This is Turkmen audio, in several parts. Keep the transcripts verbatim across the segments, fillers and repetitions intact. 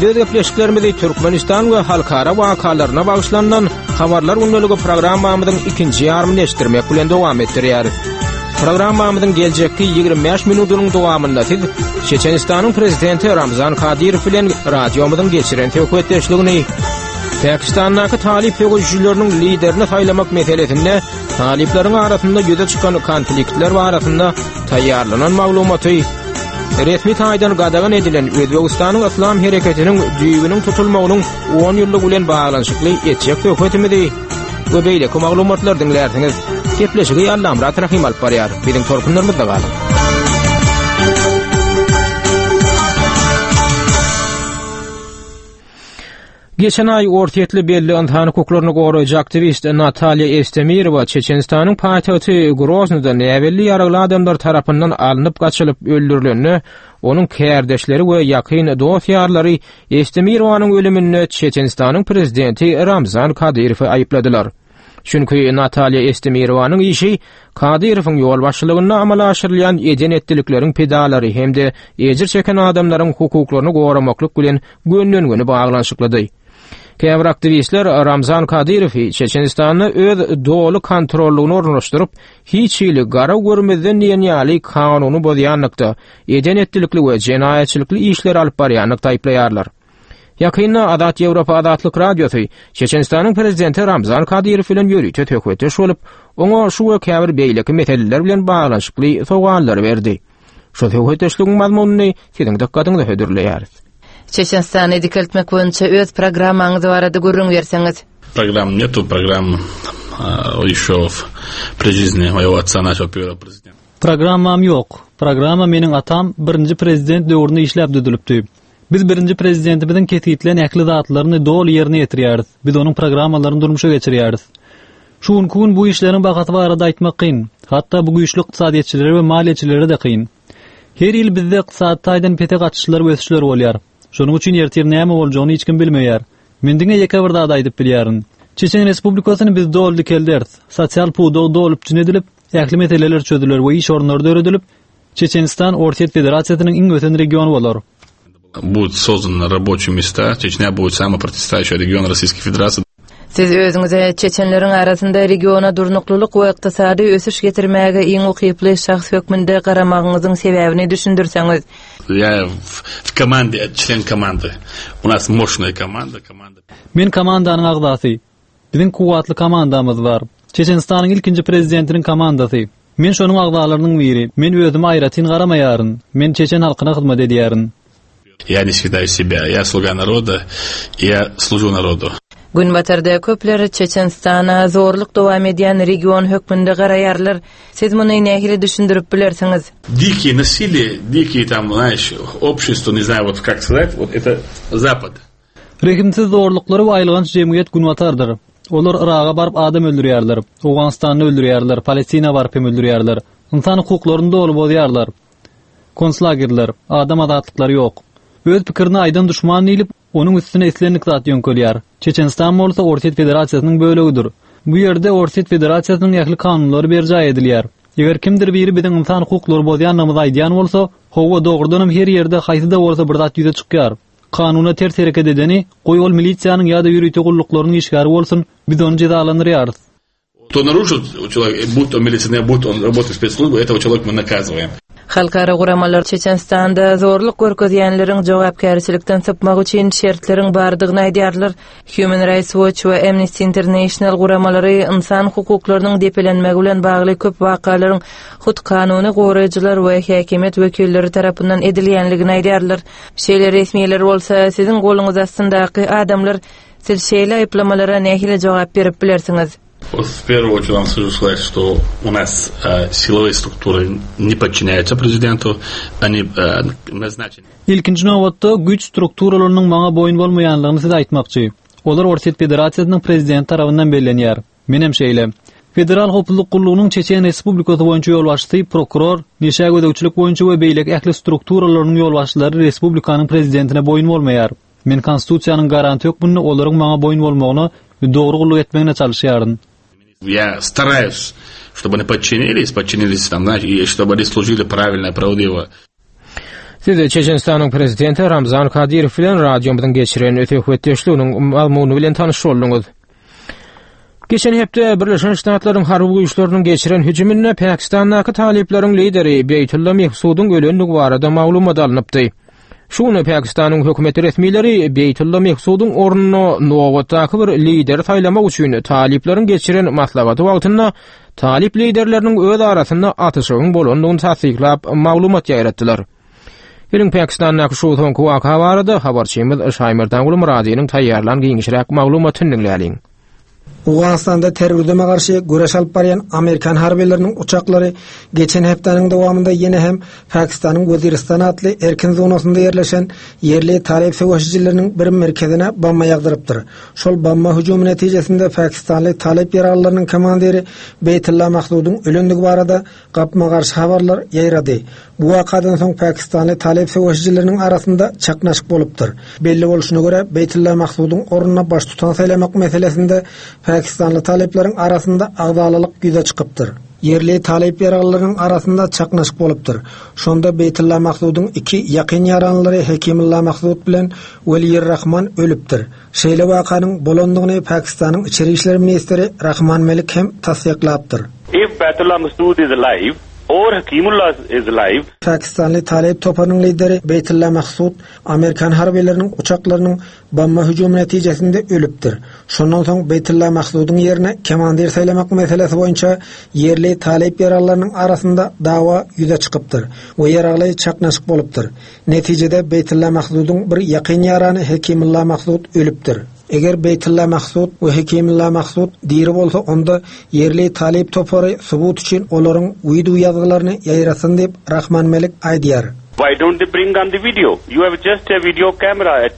Biz öz gepleşiklerimizi Türkmenistan we halkara wakalaryna bagyşlanylan Habarlar gündeligi programmamyzyň ikinji ýarymyny eşitdirmek bilen dowam etdirýäris. Programmamyzyň geljekki ýigrimi bäş minudynyň dowamynda siz Çeçenistanyň prezidenti Ramzan Kadyrow bilen radiomyzyň geçiren söhbetdeşligini, Pakistandaky talyp söweşijileriniň liderini saýlamak meselesinde talyplaryň arasynda ýüze çykan konfliktler barasynda taýýarlanan maglumaty, resmi taýdan gadagan edilen Özbegistanyň Yslam hereketiniň düýbüniň tutulmagynyň on ýyllygy bilen baglanyşykly etjek söhbetimizi we beýleki maglumatlary diňlärsiňiz. Gepleşigi Allamyrat Rahym alyp barýar. Biziň tolkunlarymyzda galyň. Geçen aý orsýetli belli ynsan hukuklaryny goraýjy aktiwist Natalýa Estemirowa Çeçenistanyň paýtagty Groznyda näbelli ýaragly adamlar tarapyndan alnyp gaçylyp öldürilende, onuň kärdeşleri we ýakyn dost-ýarlary Estemirowanyň ölüminde Çeçenistanyň prezidenti Ramzan Kadyrowy aýypladylar. Çünki Natalýa Estemirowanyň işi Kadyrowyň ýolbaşçylygynda amala aşyrylýan eden-etdilikleriň pidalary hem-de ejir çeken adamlaryň hukuklaryny goramaklyk bilen gönden-göni baglanyşyklydy. Käbir aktiwistler Ramzan Kadyrowy Çeçenistanda öz doly kontrollygyny ornaşdyryp, hiç hili gara görmezden diýen ýaly kanuny bozýanlykda, eden-etdilikli we jenaýatçylykly işleri alyp barýanlykda aýyplaýarlar. Ýakynda Azat Ýewropa Azatlyk Radiosy Çeçenistanyň prezidenti Ramzan Kadyrow bilen ýörite söhbetdeş bolup, oňa şu we käbir beýleki meseleler bilen baglanyşykly sowallary berdi. Şu söhbetdeşligiň mazmunyny siziň dykgatyňyza hödürleýäris. Çeçenistany dikeltmek boýunça öz programmaňyz barada gürrüň berseňiz. Программ нету, программ, а, еще в при жизни моего отца начал первого президента. Programmam ýok. Programma meniň atam birinji prezident döwründe işläp düzülipdi. Biz birinji prezidentimiziň kesgitlän ähli zatlaryny doly ýerine ýetirýäris. Biz onuň programmalaryny durmuşa geçirýäris. Şu günki gün bu işleriň bahasy barada aýtmak kyn. Hatda bu güýçli ykdysadyýetçilere we maliýeçilere de kyn. Her ýyl bizde ykdysady taýdan pese gaçyşlar we ösüşler bolýar. Şonuň üçin ertir näme boljagyny hiç kim bilmeýär. Men diňe ýeke bir zat aýdyp bilýärin. Çeçen Respublikasyny biz doly dikelderis. Sosial pudagy doly üpjün edilip, ähli meseleler çözüler we iş orunlary döredilip, Çeçenistan Orsýet Federasiýasynyň iň ösen regiony bolar. Будут созданы рабочие места, Чечня будет самый процветающий регион Российской Федерации. Siz özüňize Çeçenleriň arasynda regiona durnuklylyk we ykdysady ösüş getirmäge iň ukyply şahs hökmünde garamagyňyzyň sebäbini düşündirseňiz. Я в, в команде, член команды. У нас мощная команда, команда. Men komandanyň agzasy. Biziň kuwwatly komandamyz bar. Çeçenistanyň ilkinji prezidentiniň komandasy. Men şonuň agzalarynyň biri. Men özüme aýratyn garamaýaryn. Men çeçen halkyna hyzmat edýärin. Я не считаю себя. Я слуга народа, я служу народу. Günbatarda köpler Çeçenistana zorluk dowam edýän region hökmünde garaýarlar. Siz muny nähili düşündirip bilersiňiz? Дикие насилие, дикие там, знаешь, общество, не знаю, вот как сказать, вот это Запад. Rehimsiz zorluklary we aýylganç jemgyýet Günbatardyr. Olar Iraga baryp adam öldürýärler, Owganystanda öldürýärler, Palestina baryp hem öldürýärler. Insan hukuklaryny doly bozýarlar. Konslagerler, adam azatlyklary ýok. Öz pikirini aýdan düşman diýlip, onuň üstüne islendik zat ýöňkelýär. Çeçenistan bolsa Orsýet Federasiýasynyň bölegidir. Bu ýerde Orsýet Federasiýasynyň ähli kanunlary berjaý edilýär. Eger kimdir biri biziň insan hukuklary bozýanlygymyzy aýdýan bolsa, hawa dogrudan hem her ýerde haýsy-da bolsa bir zat ýüze çykýar. Kanuna ters hereket edeni, goý ol milisiýanyň ýa-da ýörite gulluklarynyň işgäri bolsun, biz ony jezalandyrýarys. Кто нарушит, человек, будь он милиционер, будь он работает в спецслужбе, этого человека мы наказываем. Halkara guramalar Çeçenistanda zorluk görkezýänleriň jogapkärçilikden sypmak üçin şertleriň bardygyny aýdýarlar. Human Rights Watch we Amnesty International guramalary insan hukuklarynyň depelenmegi bilen bagly köp wakalaryň hut kanuny goraýjylar we häkimiýet wekilleri tarapyndan edilýänligini aýdýarlar. Şeýle resmiler bolsa siziň goluňyz astyndaky adamlar siz şeýle aýyplamalara nähili jogap berip bilersiňiz? Вот в первую очередь вам скажу сказать, что у нас, э, силовые структуры не подчиняются президенту, они, э, назначены. Ilkinji nobatda güýç strukturalarynyň maňa boýun bolmaýanlygyny size aýtmakçy. Olar Orsýet Federasiýasynyň prezidenti tarapyndan bellenýär. Menem şeýle. Federal Howpsuzlyk Gullugynyň Çeçen Respublikasy boýunça ýolbaşçysy, prokuror, neşä gözegçilik boýunça we beýleki ähli strukturalarynyň ýolbaşçylary respublikanyň prezidentine boýun bolmaýar. Men konstitusiýanyň garanti hökmünde olaryň maňa boýun bolmagyna we dogry gulluk etmegine çalışýaryn. Я стараюсь, чтобы они подчинились, подчинились там, знаете, и чтобы они служили правильно, правдиво. Siz Çeçenistanyň prezidenti Ramzan Kadyrow bilen radiomyzyň geçiren söhbetdeşliginiň mazmuny bilen tanyş bolduňyz. Geçen hepde Birleşen Ştatlaryň harby güýçleriniň geçiren hüjüminde Pakistandaky talyplaryň lideri Beytullah Mehsudyň ölendigi barada maglumat alnypdy. Şu gün Pakistanyň hökümet resmileri Beytullah Mehsudyň ornuna nobatdaky bir lideri saýlamak üçin talyplaryň geçiren maslahaty wagtynda talyp liderleriniň öz arasynda atyşygyň bolandygyny tassyklap maglumat ýaýratdylar. Geliň Pakistandaky şu soňky waka barada habarçymyz Şaýmerdan Gulmyradynyň taýýarlan giňişräk maglumatyny diňläliň. Owganystanda terrorizme garşy göreş alyp barýan Amerikan harbylarynyň uçaklary geçen hepdäniň dowamynda ýene hem Pakistanyň Weziristan atly erkin zonasynda ýerleşen ýerli talyp söweşijileriniň bir merkezine bomba ýagdyrypdyr. Şol bomba hüjümi netijesinde Pakistanly talyp ýaraglylarynyň komandiri Beytullah Mahsudyň ölendigi barada gapma-garşy habarlar ýaýrady. Bu wakadan soň Pakistanly talyp söweşijileriniň arasynda çaknaşyk bolupdyr. Belli bolşuna görä Beytullah Mahsudyň ornuna baştutan saýlamak meselesinde Pakistanly talyplaryň arasynda agzalalyk ýüze çykypdyr. Ýerli talyp ýaraglylarynyň arasynda çaknaşyk bolupdyr. Şonda Beytullah Mahsudyň iki ýakyn ýaranlary Hekimullah Mahsud bilen Weliyur Rahman ölüpdir. Şeýle wakanyň bolandygyny Pakistanyň İçeri İşler Ministri Rahman Melik hem tassyklapdyr. If Beytullah Mahsud is alive or Hakimullah is alive, Pakistanly talyp toparynyň lideri Beytullah Mahsud Amerikan harbylarynyň uçaklarynyň bomba hüjümi netijesinde ölüpdir. Şondan soň Beytullah Mahsudyň ýerine komandir saýlamak meselesi boýunça ýerli talyp ýaraglylarynyň arasynda dawa ýüze çykypdyr we ýaragly çaknaşyk bolupdyr. Netijede Beytullah Mahsudyň bir ýakyn ýarany Hekimullah Mahsud ölüpdir. Eger Beytullah Mahsud we Hekimullah Mahsud diri bolsa onda ýerli talyp topary subut üçin olaryň video ýazgylaryny ýaýrasyn diýip Rahman Melik aýdýar. Why don't they bring on the video? You have just a video camera.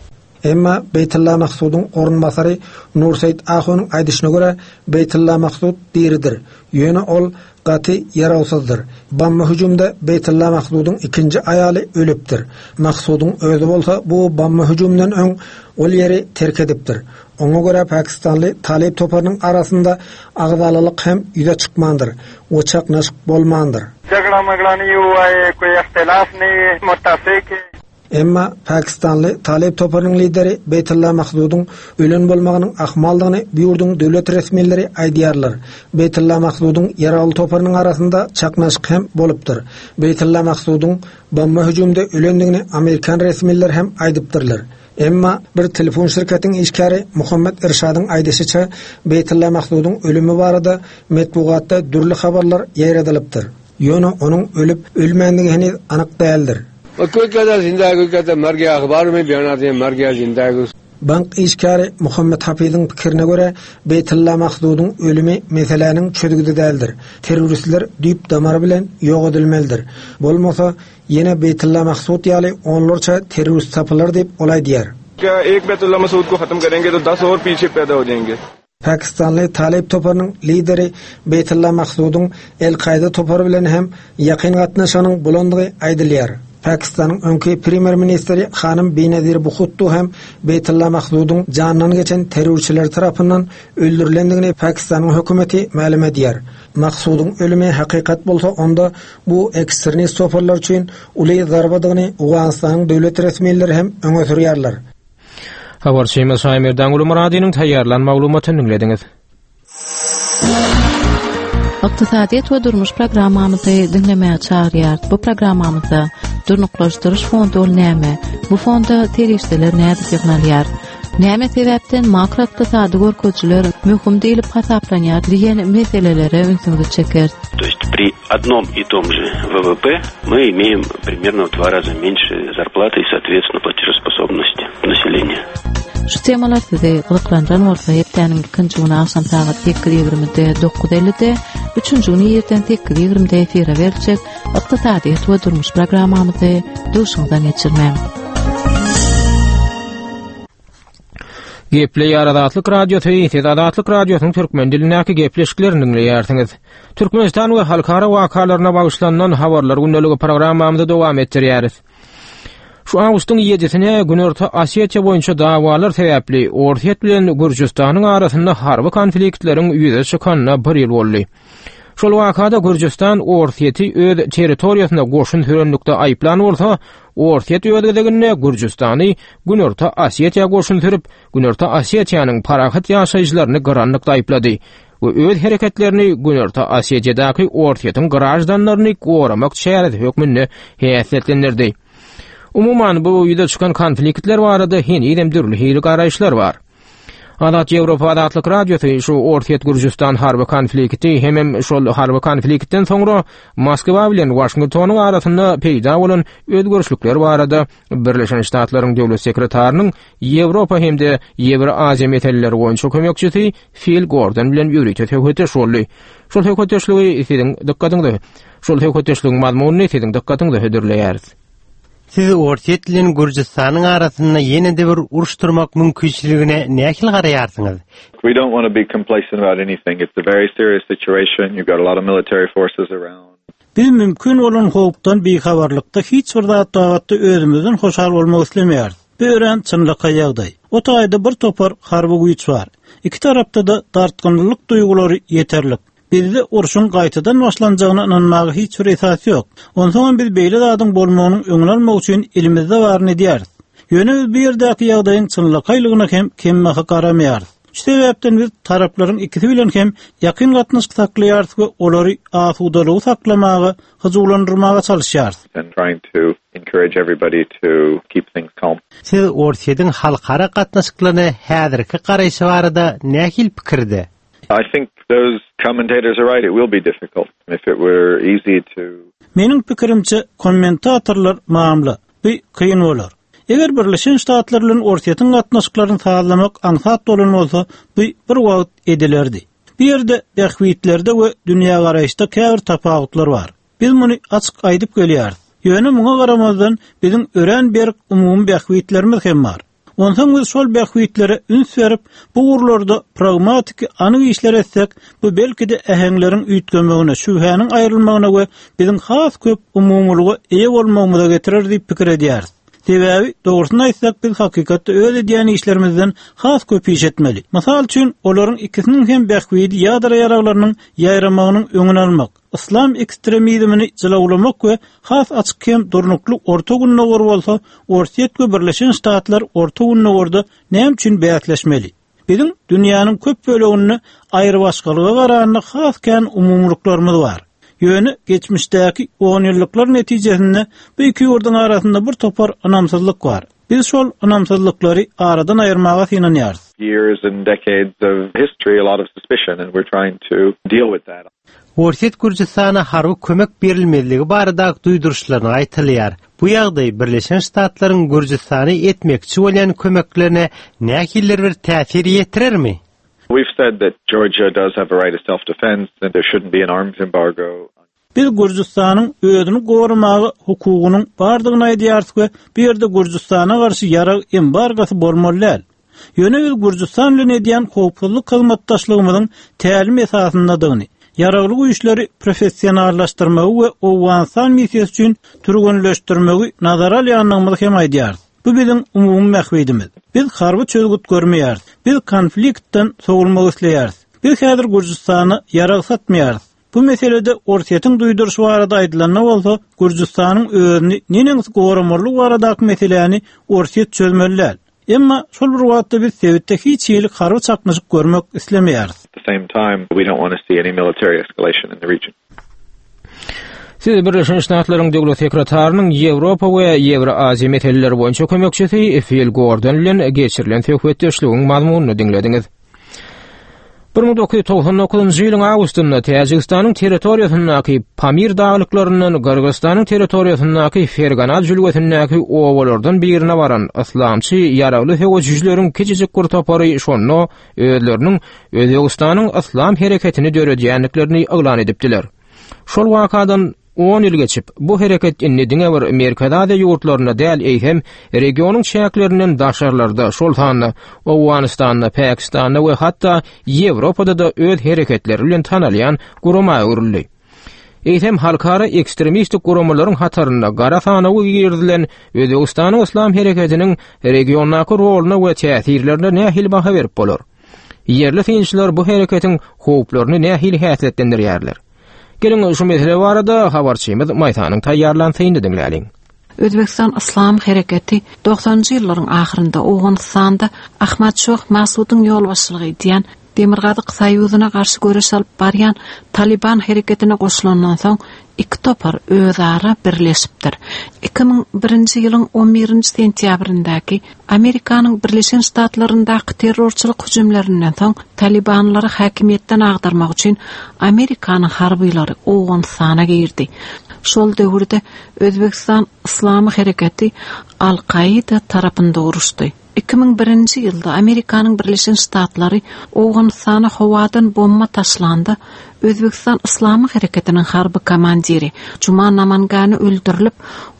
Emma Beytullah Mahsudyň orunbasary Nurseýit Ahunyň aýdyşyna görä Beytullah Mahsud diridir. Ýöne ol gaty ýarawsyzdyr. Bomba hüjümde Beytullah Mahsudyň ikinji aýaly ölüpdir. Mahsudyň özi bolsa bu bomba hüjümden öň ol ýeri terk edipdir. Oňa görä Pakistanly talyp toparynyň arasynda agzalalyk hem ýüze çykmandyr we çaknaşyk bolmandyr. Jagla magla nahi hua hai, koi ihtilaf nahi hai, muttafik hai. Emma Pakistanly talyp toparynyň lideri Beytullah Mahsudyň ölen bolmagynyň ahmaldygyny bu ýurduň döwlet resmileri aýdýarlar. Beytullah Mahsudyň ýaragly toparynyň arasynda çaknaşyk hem bolupdyr. Beytullah Mahsudyň bomba hüjümde ölendigini Amerikan resmileri hem aýdypdyrlar. Emma bir telefon şirketiň işgäri Muhammed Irşadyň aýdyşyça Beytullah Mahsudyň ölümi barada metbugatda dürli habarlar ýaýradylypdyr. Ýöne onuň ölüp ölmändigi heniz anyk däldir. कोई कहता जिंदा है, कोई कहता मर गया, अखबार में बयान आते हैं मर गया जिंदा है। Bank işgäri Muhammed Hafiziň pikirine görä Beytullah Mahsudyň ölümi meseläniň çözgüdi däldir. Terroristler düýp damar bilen ýok edilmelidir. Bolmasa ýene Beytullah Mahsud ýaly onlarça terrorist tapylar diýip olay diýär. क्या एक Beytullah Masood को खत्म करेंगे तो दस और पीछे पैदा हो जाएंगे। Pakistanly talyp toparynyň lideri Beytullah Mahsudyň El-Kaýda topary bilen hem ýakyn gatnaşygynyň bolandygy aýdylýar. Pakistanyň öňki premýer ministri Hanym Benazir Bhutto hem Beytullah Mahsudyň janyndan geçen terrorçylar tarapyndan öldürilendigini Pakistanyň hökümeti mälim edýär. Mahsudyň ölümi hakykat bolsa onda bu ekstremist toparlar üçin uly zarbadygyny Owganystanyň döwlet resmileri hem öňe sürýärler. Habarçymyz Şaýmerdan Gulmyradynyň taýýarlan maglumatyny diňlediňiz. Ykdysadyýet we durmuş programmamyzy diňlemäge çagyrýar. Bu programmamyzda Durnuklaşdyryş fondy ol näme? Bu fonda serişdeler nädip ýygnalýar? Näme sebäpden makroykdysady görkeziciler möhüm diýlip hasaplanýar diýen meselelere ünsüňizi çeker. То есть при одном и том же вэ вэ пэ мы имеем примерно в два раза меньше зарплаты и, соответственно, платежеспособности населения. Şu temalar sizi gyzyklandyran bolsa hepdäniň ikinji güni agşam sagat sekiz ýigrimide dokuz ellide, üçünji güni irden sekiz ýigrimide efire beriljek Ykdysadyýet we durmuş programmamyzy duşuňdan geçirmäň. Gepleýär Azatlyk Radiosy, siz Azatlyk Radiosynyň türkmen dilindäki gepleşiklerini diňleýärsiňiz. Türkmenistan we halkara wakalaryna bagyşlanan habarlar gündeligi programmamyzy dowam etdirýäris. Şu awgustyň ýedisine Günorta Osetiýa boýunça dawalar sebäpli Orsýet bilen Gürjüstanyň arasynda harby konfliktleriň ýüze çykanyna bir ýyl boldy. Şol wakada Gürjüstan Orsýeti öz territoriýasyna goşun sürenlikde aýyplan bolsa, Orsýet öz gezeginde Gürjüstany Günorta Osetiýa goşun sürüp, Günorta Osetiýanyň parahat ýaşaýjylaryny gyranlykda aýyplady we öz hereketlerini Günorta Osetiýadaky Orsýetiň grajdanlaryny goramak çäresi hökmünde häsiýetlendirdi. Umuman bu ýüze çykan konfliktler barada henizem dürli hili garaýyşlar bar. Azat Ýewropa Azatlyk Radiosy şu Orsýet Gürjüstan harby konflikti hemem şol harby konfliktden soňra Moskwa bilen Waşingtonyň arasynda peýda bolan özgerişlikler barada Birleşen Ştatlaryň döwlet sekretarynyň Ýewropa hem-de Ýewroaziýa meseleleri boýunça kömekçisi Phil Gordon bilen ýörite söhbetdeş boldy. Şol söhbetdeşligi siziň dykgatyňyza, şol söhbetdeşligiň mazmunyny siziň dykgatyňyza hödürleýäris. Siz Orsýet bilen Gürjüstanyň arasynda ýene-de bir uruş turmak mümkinçiligine nähili garaýarsyňyz? We don't want to be complacent about anything. It's a very serious situation. You've got a lot of military forces around. Biz mümkin bolan howpdan bihabarlykda hiç bir zat babatda özümizden hoşal bolmak islemeýäris. Bu örän çynlakaý ýagdaý. O taýda bir topar harby güýç bar. Iki tarapda da dartgynlyk duýgulary ýeterlik. Bizde urşuň gaýtadan başlanjagyna ynanmaga hiç bir esas ýok. Onsoň biz beýle zadyň bolmagynyň öňüni almak üçin elimizde baryny edýäris. Ýöne biz bu ýerdäki ýagdaýyň çynlakaýlygyna hem kemmaha garamaýarys. Şu sebäpden biz taraplaryň ikisi bilen hem ýakyn gatnaşyk saklaýarys we olary asudalygy saklamaga, hyjuwlandyrmaga çalyşýarys. and trying to encourage everybody to keep things calm. Siz Orsýetiň halkara gatnaşyklaryna häzirki garaýşy barada nähili pikirde? I think those commentators are right. It will be difficult. If it were easy to Meniň pikirimçe kommentatorlar mamla, bu kyn bolar. Eger Birleşen Ştatlar bilen Orsýetiň gatnaşyklaryny sazlamak aňsat bolan bolsa, bu bir wagt edilerdi. Bu ýerde bähbitlerde we dünýä garaýyşda käbir tapawutlar bar. Biz muny açyk aýdyp gelýäris. Ýöne muňa garamazdan biziň örän berk umumy bähbitlerimiz hem bar. Onsoň biz şol bähbitlere üns berip, bu ugurlarda pragmatiki anyk işler etsek, bu belki-de äheňleriň üýtgemegine, şübhäniň aýrylmagyna we biziň has köp umumylyga eýe bolmagymyza getirer diýip pikir edýäris. Sebäbi dogrusyny aýtsak biz hakykatda öz edýän işlerimizden has köp iş etmeli. Mysal üçin, olaryň ikisiniň hem bähbidi ýadro ýaraglarynyň ýaýramagynyň öňüni almak, yslam ekstremizmini jylawlamak we has açyk hem durnukly Orta Gündogar bolsa, Orsýet we Birleşen Ştatlar Orta Gündogarda näme üçin bäsleşmeli? Biziň dünýäniň köp böleginde aýrybaşgalyga garanda has kän umumylyklarymyz bar. Ýöne geçmişdäki on ýyllyklar netijesinde bu iki ýurduň arasynda bir topar ynamsyzlyk bar. Biz şol ynamsyzlyklary aradan aýyrmaga synanýarys. years and decades of history, a lot of suspicion, and we're trying to deal with that. Orsýet Gürjüstana harby kömek berilmezligi barada duýduryşlaryny aýtylýar. Bu ýagdaý Birleşen Ştatlaryň Gürjüstany etmekçi bolýan kömeklerine nähilidir bir täsir ýetirermi? We've said that Georgia does have a right of self-defense and there shouldn't be an arms embargo. Biz Gürjüstanyň özüni goramaga hukugynyň bardygyny aýdýarys we bu ýerde Gürjüstana garşy ýarag embargosy bolmaly däl. Ýöne biz Gürjüstan bilen edýän howpsuzlyk hyzmatdaşlygymyzyň tälim esasyndadygyny, ýaragly güýçleri professionallaşdyrmagy we Owganystan missiýasy üçin türgenleşdirmegi nazara alýandygymyzy hem aýdýarys. Bu biziň umumy bähbidimiz. Biz harby çözgüt görmeýäris. Biz konfliktden sowulmak isleýäris. Biz häzir Gürjüstana ýarag satmaýarys. Bu meselede Orsýetiň duýduryşy barada aýdylanda bolsa, Gürjüstanyň özüni neneňsi goramalylygy baradaky meseläni Orsýet çözmeli däl. Emma şol bir wagtda biz sebitde hiç hili harby çaknyşyk görmek islemeýäris. At the same time, we don't want to see any military escalation in the region. Siz Birleşen Ştatlaryň döwlet sekretarynyň Ýewropa we Ýewroaziýa meseleleri boýunça kömekçisi Phil Gordon bilen geçirilen söhbetdeşligiň mazmunyny diňlediňiz. bir müň dokuz ýüz togsan dokuzynjy ýylyň awgustynda Täjigistanyň territoriýasyndaky Pamir daglyklaryndan Gyrgyzystanyň territoriýasyndaky Fergana jülgesindäki obalardan birine baran yslamçy ýaragly söweşijileriň kiçijik bir topary şonda özleriniň Özbegistanyň yslam hereketini döredýändiklerini yglan edipdiler. Şol wakadan on ýyl geçip, bu hereket indi diňe bir Merkezi Aziýa ýurtlarynda däl, eýsem regionyň çäklerinden daşarlarda, şol sanda Owganystanda, Pakistanda we hatda Ýewropada da öz hereketleri bilen tanalýan gurama öwrüldi. Eýsem halkara ekstremistik guramalaryň hatarynda gara sanawa girizilen Özbegistanyň yslam hereketiniň regiondaky roluna we täsirlerine nähili baha berip bolar? Ýerli synçylar bu hereketiň howplaryny nähili häsiýetlendirýärler? Geliň şu mesele barada habarçymyz Maýsanyň taýýarlan synyny diňläliň. Özbekistan Yslam hereketi doksanynjy ýyllaryň ahyrynda Owganystanda Ahmad Şoh Masudyň ýolbaşçylyk edýän Demirgazyk Soýuzyna garşy göreş alyp barýan Taliban hereketine goşulandan soň iki topar özara birleşipdir. Iki müň birinji ýylyň on birinji sentýabryndaky Amerikanyň Birleşen Ştatlaryndaky terrorçylyk hüjümlerinden soň Talibanlary häkimiýetden agdarmak üçin Amerikanyň harbylary Owganystana girdi. Şol döwürde Özbekistan Yslamy hereketi Al-Kaida tarapynda uruşdy. Iki müň birinji ýylda Amerikanyň Birleşen Ştatlary Owganystana howadan bomba taşlanda Özbekistan Yslamy hereketiniň harby komandiri Juma Namangany öldürilip,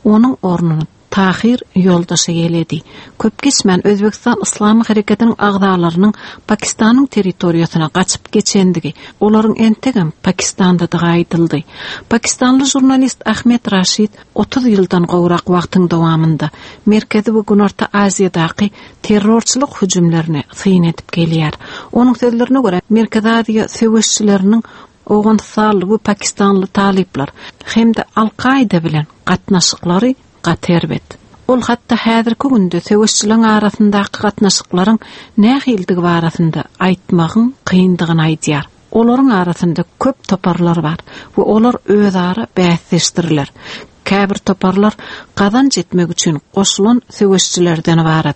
onuň ornuny Tahir ýoldaşy eýeledi. Köp geçmän Özbekistan Yslamy hereketiniň agzalarynyň Pakistanyň territoriýasyna gaçyp geçendigi, olaryň entegem Pakistandadygy aýdyldy. Pakistanly žurnalist Ahmet Raşid otuz ýyldan gowrak wagtyň dowamynda Merkezi we Günorta Aziýadaky terrorçylyk hüjümlerini syn edip gelýär. Onuň sözlerine görä, Merkezi Aziýa söweşçileriniň Owganystanly we Pakistanly talyplar hem-de Al-Kaida bilen gatnaşyklary gaty erbet. Ol hatda häzirki günde söweşçileriň arasyndaky gatnaşyklaryň nähildigi barasynda aýtmagyň kyndygyny aýdýar. Olaryň arasynda köp toparlar bar we olar özara bäsdeşdirler. Käbir toparlar gazanç etmek üçin goşulan söweşçilerden ibarat.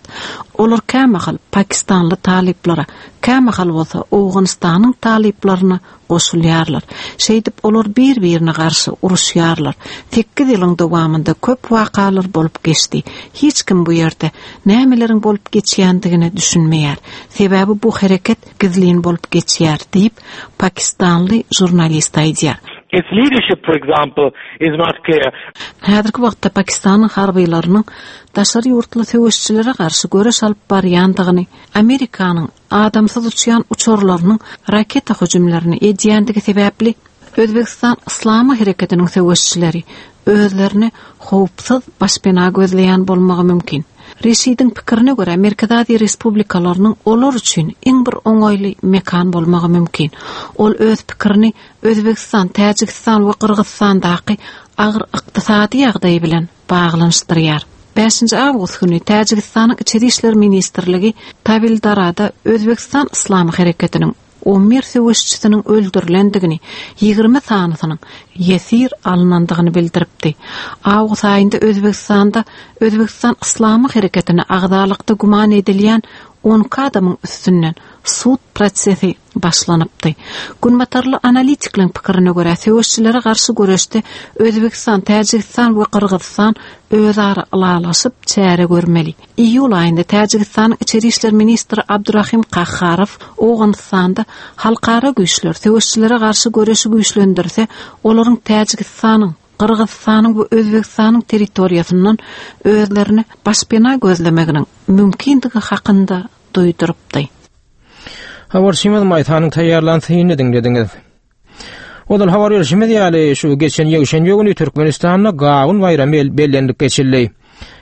Olar kämahal Pakistanly talyplara, kämahal bolsa Owganystanyň talyplaryna goşulýarlar. Şeýdip olar bir-birine garşy uruşýarlar. Sekiz ýylyň dowamynda köp wakalar bolup geçdi. Hiç kim bu ýerde nämeleriň bolup geçýändigine düşünmeýär. Sebäbi bu hereket gizlin bolup geçýär diýip Pakistanly žurnalist aýdýar. Its leadership, for example, is not clear. Häzirki wagtda Pakistanyň harbylarynyň daşary ýurtly söweşçilere garşy göreş alyp barýandygyny, Amerikanyň adamsyz uçýan uçarlarynyň raketa hüjümlerini edýändigi sebäpli Özbekistan Yslamy hereketiniň söweşçileri özlerini howpsuz başpena gözleýän bolmagy mümkin. Reşidiň pikirine görä, Merkezi Aziýa Respublikalarynyň olar üçin iň bir oňaýly mekan bolmagy mümkin. Ol öz pikirini Özbekistan, Täjigistan we Gyrgyzystandaky agyr ykdysady ýagdaý bilen baglanyşdyrýar. Bäşinji awgust güni Täjigistanyň Içeri işler ministrligi Tawildarada Özbekistan Yslamy hereketiniň on bir söweşçisiniň öldürilendigini, ýigrimi sanysynyň ýesir alynandygyny bildiripdi. Awgust aýynda Özbekistanda Özbekistan Yslamy hereketine agzalykda güman edilýän on iki adamyň üstünden sud prosesi başlanypdy. Günbatarly analitikleriň pikirine görä, söweşçilere garşy göreşde Özbekistan, Täjigistan we Gyrgyzystan özara ylalaşyp çäre görmeli. Iýul aýynda Täjigistanyň Içeri işler ministri Abdurrahim Kahharow Owganystanda halkara güýçler söweşçilere garşy göreşi güýçlendirse, olaryň Täjigistanyň, Gyrgyzystanyň we Özbekistanyň territoriýasyndan özlerini başpena gözlemeginiň mümkindigi hakynda duýdurypdy. Habarçymyz Maýsanyň taýýarlan synyny diňlediňiz. Ozal habar berişimiz ýaly şu geçen ýekşenbe güni Türkmenistanda Gawun baýramy bellenilip geçildi.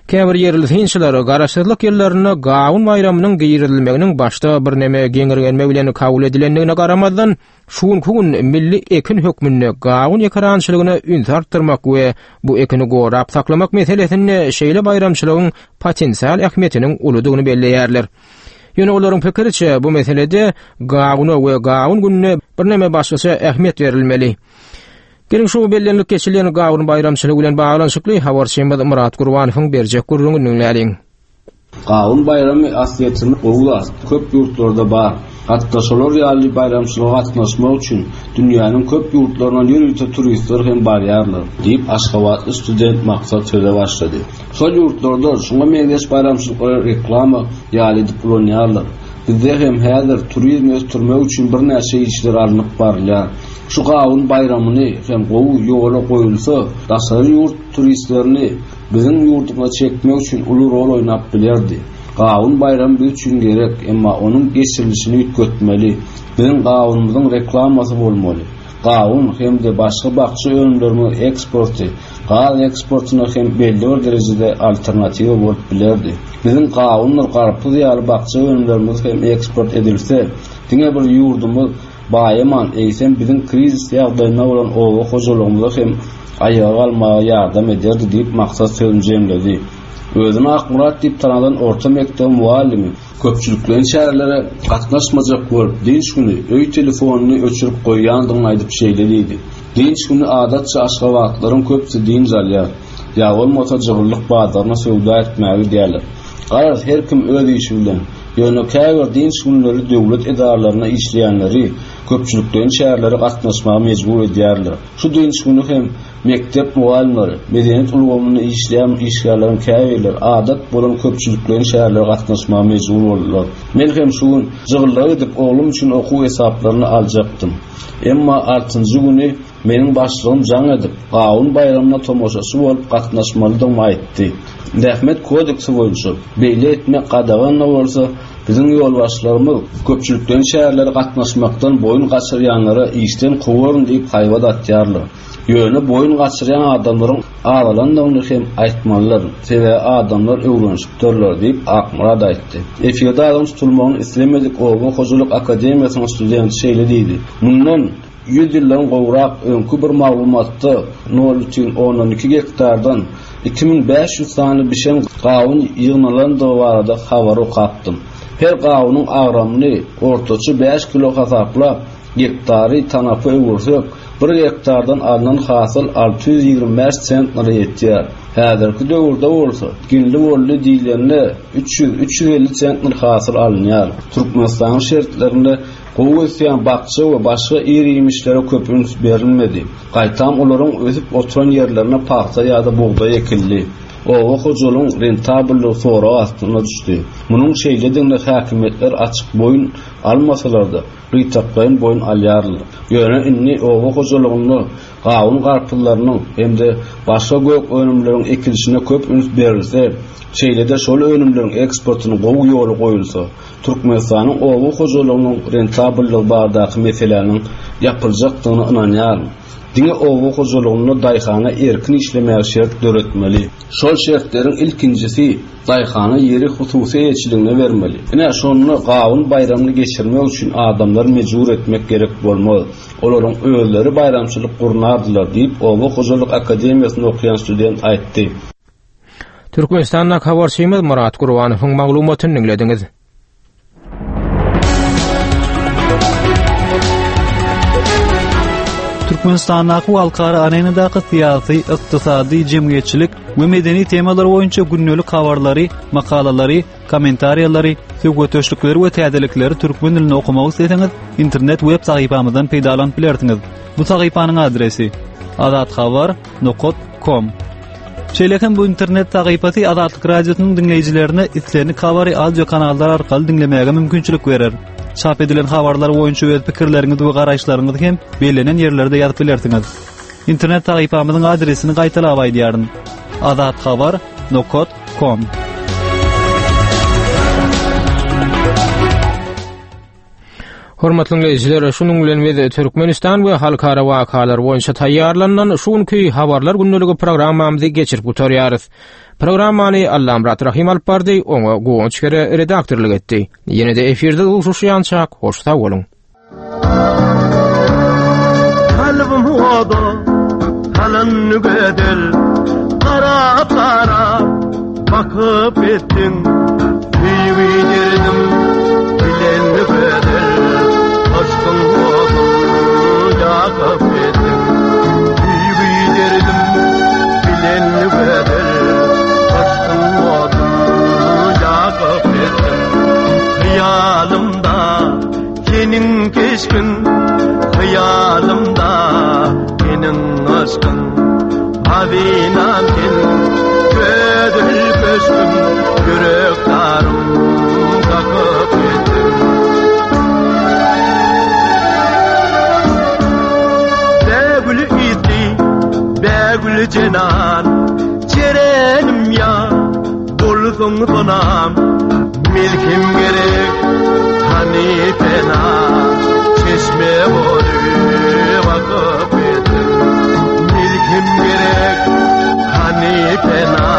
Käbir ýerli synçylar garaşsyzlyk ýyllarynda Gawun baýramynyň girizilmeginiň başda birneme geňirgenme bilen kabul edilendigine garamazdan, şu günki gün milli ekin hökmünde gawun ekerançylygyna üns artdyrmak we bu ekini gorap saklamak meselesinde şeýle baýramçylygyň potensial ähmiýetiniň uludygyny belleýärler. Ýöne olaryň pikiriçe bu meselede gawuna we gawun gününe birneme başgaça ähmiýet berilmeli. Geliň şu bellenilip geçilen gawun baýramçylygy bilen baglanyşykly habarçymyz Murat Gurbanowyň berjek gürrüňini diňläliň. Gawun baýramy aslyýetinde gowy zat, köp ýurtlarda bar. Hatda şolar ýaly baýramçylyga gatnaşmak üçin dünýäniň köp ýurtlaryndan ýörite turistler hem barýarlar, diýip Aşgabatly student Maksat söze başlady. Şol ýurtlarda şuňa meňzeş baýramçylyklary reklama ýaly edip ulanýarlar. Bizde hem häzir turizmi ösdürmek üçin birnäçe işler alnyp barylýar. Şu gawun baýramyny hem gowy ýola goýulsa, daşary ýurt turistlerini biziň ýurdumyza çekmek üçin uly rol oýnap bilerdi. Gawun baýramy biz üçin gerek, emma onuň geçirilişini üýtgetmeli. Biziň gawunymyzyň reklamasy bolmaly. Gawun hem-de başga bakja önümlerimiň eksporty, gaz eksportuna hem belli bir derejede alternatiwa bolup bilerdi. Biziň gawundyr garpyz ýaly bakja önümlerimiz hem eksport edilse, diňe bir ýurdumyz baýaman, eýsem biziň krizis ýagdaýynda bolan oba hojalygymyza hem aýaga galmaga ýardam ederdi diýip Maksat sözüni jemledi. Özüni Akmyrat diýip tanadan orta mekdebiň mugallymy köpçülikleýin çärelere gatnaşmajak bolup, dynç güni öý telefonyny öçürip goýýandygyny aýdyp şeýle diýdi: Dynç güni adatça aşgabatlylaryň köpüsi dynç alýar. Ýa bolmasa jygyllyk bazaryna söwda etmäge gidýärler. Garaz, her kim öz işi bilen. Ýöne käbir dynç günleri döwlet edaralarynda işleýänleri köpçülikleýin çärelere gatnaşmaga mejbur edýärler. Şu dynç güni hem mekdep mugallymlary, medeniýet ulgamynda işleýän işgärleriň käbirleri adat bolan köpçülikleýin çärelere gatnaşmaga mejbur boldular. Men hem şu gün jygyllyga gidip oglum üçin okuw esaplaryny aljakdym. Emma altynjy güni meniň başlygym jaň edip, Gawun baýramyna tomaşaçy bolup gatnaşmalydygymy aýtdy. Zähmet kodeksi boýunça beýle etmek gadagan-da bolsa, biziň ýolbaşçylarymyz köpçülikleýin çärelere gatnaşmakdan boýun gaçyrýanlara işden kowaryn diýip haýbat atýarlar. Ýöne boýun gaçyrýan adamlaryň azalandygyny hem aýtmalydyr. Sebäbi adamlar öwrenişipdirler diýip Akmyrat aýtdy. Efirde adynyň tutulmagyny islemedik Oba hojalyk akademiýasynyň studenti şeýle diýdi: Mundan ýüz ýyldan gowrak öňki bir maglumatda nol bütin ondan iki gektardan iki müň bäş ýüz sany bişen gawun ýygnalandygy barada habar okapdym. Her gawunyň agramyny ortaça bäş kilo hasaplap, gektary tanapa öwürsek, bir gektardan alnan hasyl alty ýüz ýigrimi bäş sentnere ýetýär. Häzirki döwürde bolsa, ginli boldy diýlende üç ýüz, üç ýüz elli sentner hasyl alynýar. Türkmenistanyň şertlerinde gowy ösýän bakja we başga ir-iýmişlere köp üns berilmedi. Gaýtam olaryň ösüp oturan ýerlerine pagta ýa-da bugdaý ekildi. Oba hojalygyň rentabellygy sorag astyna düşdi. Munuň şeýledigine häkimiýetler açyk boýun almasalar-da, gytaklaýyn boýun alýarlar. Ýöne indi oba hojalygynda gawun garpyzlarynyň hem-de başga gök önümleriň ekilişine köp üns berilse, şeýle-de şol önümleriň eksportyny gowy ýola goýulsa, Türkmenistanyň oba hojalygynyň rentabellygy baradaky meseläniň ýapyljakdygyna ynanýaryn. Diňe oba hojalygynda daýhana erkin işlemäge şert döretmeli. Şol şertleriň ilkinjisi daýhana ýeri hususy eýeçiligine bermeli. Ine, şonda gawun baýramyny geçirmek üçin adamlary mejbur etmek gerek bolmaz. Olaryň özleri baýramçylyk gurnardylar diýip, Oba hojalyk akademiýasynda okaýan student aýtdy. Türkmenistandaky habarçymyz Myrat Gurbanowyň maglumatyny diňlediňiz. Türkmenistandaky we halkara arenadaky syýasy, ykdysady, jemgyýetçilik we medeni temalar boýunça gündelik habarlary, makalalary, kommentariýalary, söhbetdeşlikleri we täzelikleri türkmen dilinde okamak isleseňiz, internet web sahypamyzdan peýdalanyp bilersiňiz. Bu sahypanyň adresi azathabar nokta com. Şeýle hem bu internet sahypasy Azatlyk Radiosynyň diňleýjilerine islendik habary audio kanallar arkaly diňlemäge mümkinçilik berer. Çap edilen habarlar boýunça öz pikirleriňizi we garaýyşlaryňyzy hem bellenen ýerlerde ýazyp bilersiňiz. Internet sahypamyzyň adresini gaýtalap aýdýaryn: azathabar nokta com. Hormatly dinleýjiler, şunuň bilen biz Türkmenistan we halkara wakalar boýunça taýýarlanan şu günki habarlar gündeligi programmamyzy geçirip gutarýarys. Programmany Allamyrat Rahim alyp bardy, oňa Guwanç Kere redaktorlyk etdi. Ýene de efirde duşuşýançak, hoş sag boluň. Kalbim oda, halan gödel, qarap qarap bakıp ettin, söýgi derdim bilen gödel, aşkın odun yakıp ettin, söýgi derdim bilen gödel, aşkın odun yakıp ettin, hıyalımda senin keşfin, hıyalımda senin aşkın, hazinam senin, gödül köşküm, yürek darım kakıp ettim. Begül idi, begül cenan, cerenim ya, bulsun sonam, milkim gerek, hani fena, çeşme boyu bakıp ettim. Milkim gerek, hani fena,